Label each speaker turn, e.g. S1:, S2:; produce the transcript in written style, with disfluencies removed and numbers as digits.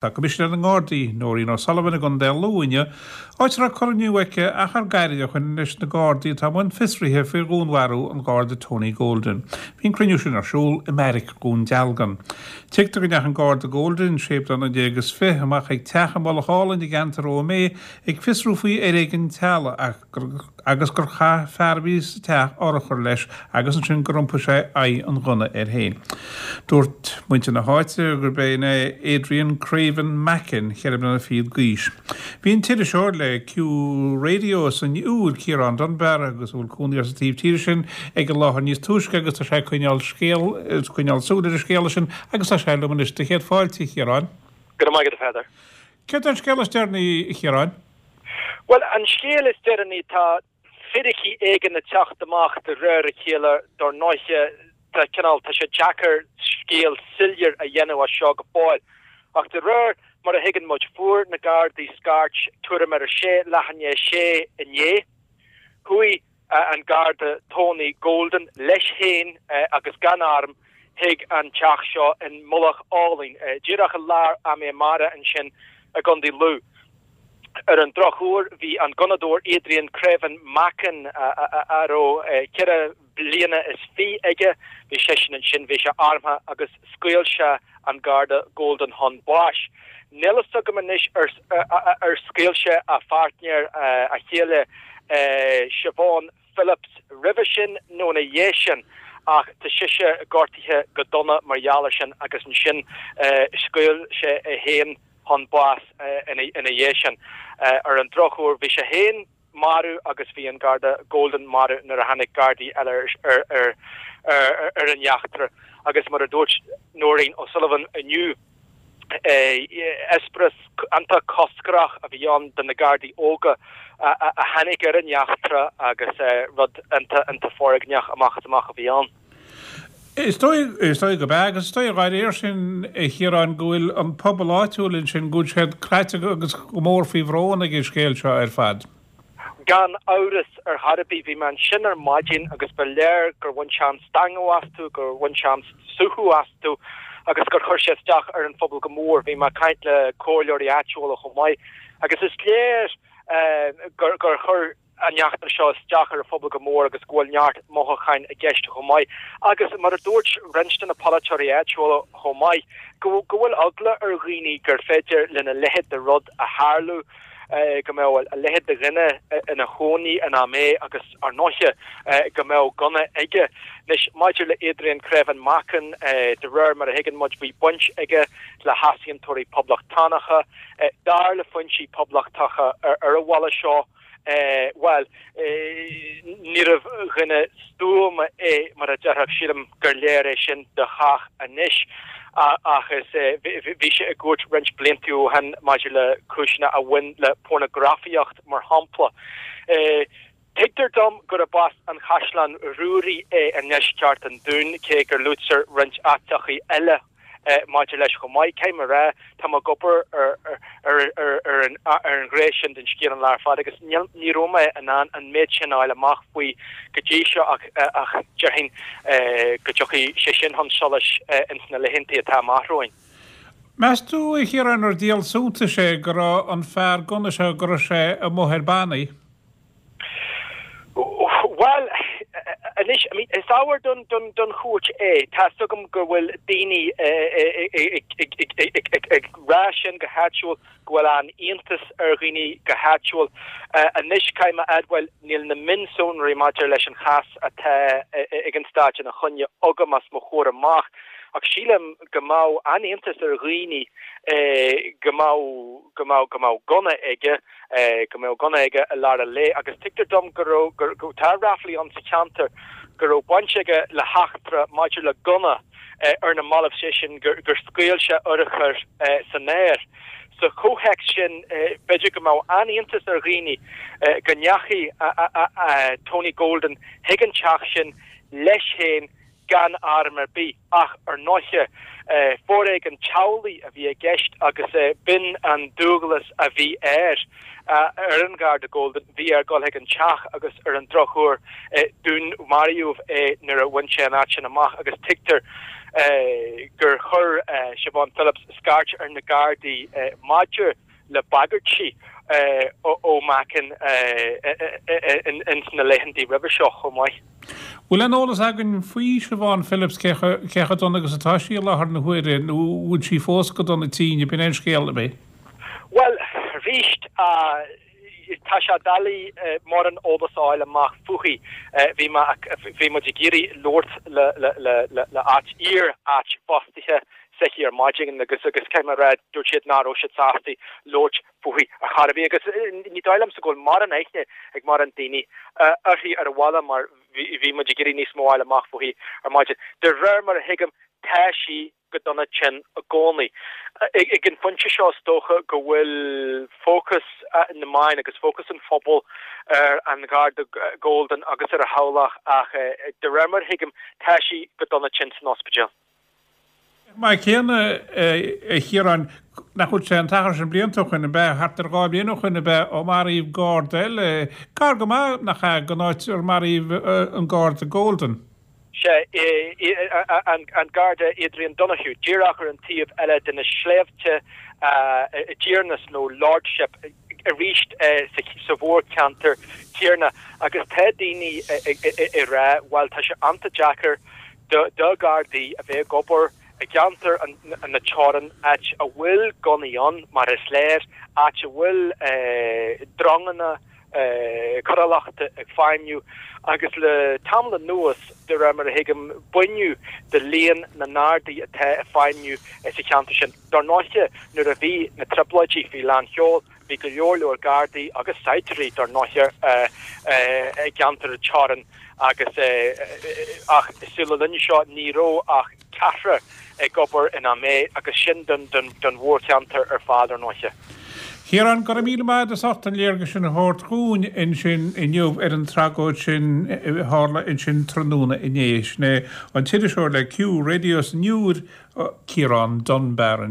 S1: Tá Coimisinéir na nGardaí, Nóirín O'Sullivan i gContae Lú inniu, áit a raibh cruinniú aici achar gairid ó shin leis na Gardaí atá i mbun fiosraithe faoi dhúnmharú an Gharda Tony Golden. Bhí an cruinniú sin ar siúl i mBeairic Dhún Dealgan. Tuigtear go ndeachaigh an Garda Golden, 16 bliana is 20, amach chuig teach i Mullach Álainn i gceantar Ó Méith ag fiosrú faoi fhoréigean teaghlaigh ach agus gur chaith fear a bhí sa teach urchar leis agus ansin gur iompaigh sé aghaidh an ghunna air féin. Dúirt muintir na háite gurb in é Adrian Craven Mackin, cheithre bliana fichead d'aois. Bhí an t-iriseoir le Q Radio san Iúr, Ciarán Dunbar, agus a bhfuil cónaí air sa taobh tíre sin, ag an láthair níos túisce agus tá sé ag coinneáil scéal, ag coinneáil súil ar an scéala sin agus tá sé liom anois. Do chéad fáilte, a Chiaráin.
S2: Go raibh maith agat, a Pheadair.
S1: Céard é an scéal is deireanaí, a Chiaráin?
S2: Bhuel, an scéal is deireanaí, tá fíricí éigin ag teacht amach de réir a chéile, dár ndóiche, tá cineál, tá sé deacair scéal soiléir a dhéanamh as seo go fóill. Ach de réir mar a thuigeann muid, fuair na Gardaí scairt tuairim ar a sé, leath i ndiaidh a sé inné. Chuaigh an Garda Tony Golden leis féin agus gan arm chuig an teach seo in Mullach Álainn, díreach i lár Ó Méith Mara ansin i gContae Lú. Ar an drochuair, bhí an gunnadóir Adrian Craven Mackin, a raibh 24 bliana aige, bhí seisean ansin, bhí sé armtha agus scaoil sé an Garda Golden chun báis. Níl fhios agam anois ar scaoil sé a pháirtnéir, a chéile Siobhan Phillips roimhe sin nó ina dhiaidh sin ach tá sise gortaithe go dona mar gheall air sin agus ansin scaoil sé é féin chun báis ina dhiaidh sin. Ar an drochuair bhí sé féin marbh agus bhí an Garda Golden marbh nuair a tháinig Gardaí eile ar an eachtra agus mar a dúirt Nóirín O'Sullivan inniu, eispéireas iontach coscrach a bhí ann do na Gardaí óga a tháinig ar an eachtra agus rud iontach foréigneach amach is amach a bhí ann.
S1: Is dóigh, is dóigh gurb ea, agus is dóigh dá réir sin, a Chiaráin, go bhfuil an pobal áitiúil ansin, go bhfuil siad craite agus go mór faoi bhrón ag an scéal seo ar fad.
S2: Gan amhras ar chor ar bith. Bhí mé ansin ar maidin agus ba léir gur bhain sé an stangadh astu, gur bhain sé an suaitheadh astu agus gur chuir sé isteach ar an phobal go mór. Bhí mé ag caint le comhairleoirí áitiúla chomh maith agus is léir gur chuir an eachtra seo isteach ar an phobal go mór agus go bhfuil neart mothúcháin i gceist chomh maith. Agus mar a dúirt roinnt de na polaiteoirí áitiúla chomh maith, go bhfuil eagla ar dhaoine gur féidir lena leithéid de rud a tharlú, go mbeadh a leithéid de dhuine ina chónaí in Ó Méith agus, ar ndóiche, go mbeadh gunna aige. Anois, maidir le Adrian Crevan Mackin, de réir mar a thuigeann muid, bhí baint aige le heasaontóirí poblachtánacha. Dar le foinsí poblachtacha ar an bhaile seo, bhuel, níorbh dhuine stuama é, mar a déarfá, sílim gur léir é sin do chách anois. Ach is bhí sé i gcúirt roinnt blianta ó shin maidir le cúiseanna a bhain le pornagrafaíocht, mar shampla. Tuigtear dom gurb as an Chaisleán Ruairí é i ndeisceart an Dúin, cé gur luaitear roinnt áiteachaí eile maidir leis chomh maith. Caithfidh mé a rá, tá mé ag obair ar an ghné sin den scéal an lá ar fad agus ní raibh mé in ann an méid sin a fháil amach faoi go dtí seo ach déarfainn go dtiocfaidh sé sin chun solais ins na laethanta atá amach romhainn.
S1: Meas tú, a Chiaráin, ar díol suntais é go raibh an fear gunna seo, go raibh sé amuigh ar bannaí?
S2: Bhuel, anois, I mean, is ábhar don, don, don chúirt é. Tá's agam go bhfuil daoine ag rá sin go háitiúil, go bhfuil an-iontas ar dhaoine go háitiúil. Anois, caithfidh mé a admháil, níl na mionsonraí maidir leis an chás atá ag an Stát ina choinne agam os mo chomhair amach, ach sílim go mbeadh an-iontas ar dhaoine go mbeadh, go mbeadh, go mbeadh gunna aige. go mbeadh gunna aige i lár an lae agus tuigtear dom go raibh, go, tá ráflaí ann sa cheantar go raibh baint aige le heachtra maidir le gunna ar na mallaibh, sé sin gur scaoil sé urchar san aer. Sa chomhthéacs sin, b'fhéidir go mbeadh an-iontas ar dhaoine go ndeachaigh Tony Golden chuig an teach sin leis féin gan arm ar bith, ach ar ndóiche, foréigean teaghlaigh a bhí i gceist agus b'in an dualgas a bhí air, ar an Gharda Golden, bhí air dul chuig an teach agus ar an drochuair, dúnmaraíodh é nuair a bhain sé an áit sin amach agus tuigtear. gur chuir Siobhan Phillips scairt ar na Gardaí maidir le bagairtí ó Macken ins na laethantaí roimhe seo chomh maith.
S1: Bhfuil aon eolas againn faoi Siobhan Phillips, cé chomh dona agus atá sí i láthair na huaire nó bhfuil sí fós go dona tinn, ab in é an scéal, ab é?
S2: Bhuel, arís, tá sé doiligh mórán eolas a fháil amach fúithi. Bhí mé, bhí muid ag iarraidh labhairt le, le, le, le, le áit, iar-áit fostaithe s'aici ar maidin agus, agus caithfidh mé a rá, dúirt siad nach raibh siad sásta labhairt fúithi ar chor ar bith agus ní dóigh liomsa go bhfuil mórán aithne ag mórán daoine uirthi ar an bhaile mar bhí muid ag iarraidh níos mó a fháil amach fúithi ar maidin. De réir mar a thuigim, tá sí go dona tinn i gcónaí. Ag an phointe seo is dócha go bhfuil fócas na meáin agus fócas an phobail ar an Gharda Golden agus ar a theaghlach ach de réir mar a thuigim tá sí go dona tinn san ospidéal.
S1: Mar céanna, a Chiaráin, nach bhfuil sé an t-achar sin blianta ó shoin, ab ea, thart ar 2 bhliain ó shoin, ab ea, ó maraíodh garda eile, gar go maith, nach ea, don áit ar maraíodh an garda Golden?
S2: Sea, an Garda Adrian Donohoe, díreach ar an taobh eile de na sléibhte i dTiarnas nó Lordship arís sa mhórcheantar céanna agus tá daoine ag rá bhuel tá sé an-deacair do Ghardaí a bheith ag obair i gceantar na teorann, áit a bhfuil gunnaí ann, mar is léir, áit a bhfuil dronganna coiriúlachta ag feidhmiú agus le tamall anuas, de réir mar a thuigim, baineadh de líon na nGardaí atá ag feidhmiú sa cheantar sin. Dar ndóiche, nuair a bhí na Trioblóidí faoi lán sheoil, bhí go leor leor Gardaí agus saighdiúirí, dar ndóiche, i gceantar na teorann agus ach sula linne seo ní raibh ach ceathrar ag obair in Ó Méith agus sin don mhórcheantar ar fad, ar ndóiche.
S1: Ciarán, go raibh míle maith agat as ucht an léargas sin a thabhairt dhúinn ansin inniu ar an tragóid sin a tharla ansin tráthnóna inné. Sin é an t-iriseoir le Q Radio san Iúr, Ciarán Dunbar ansin.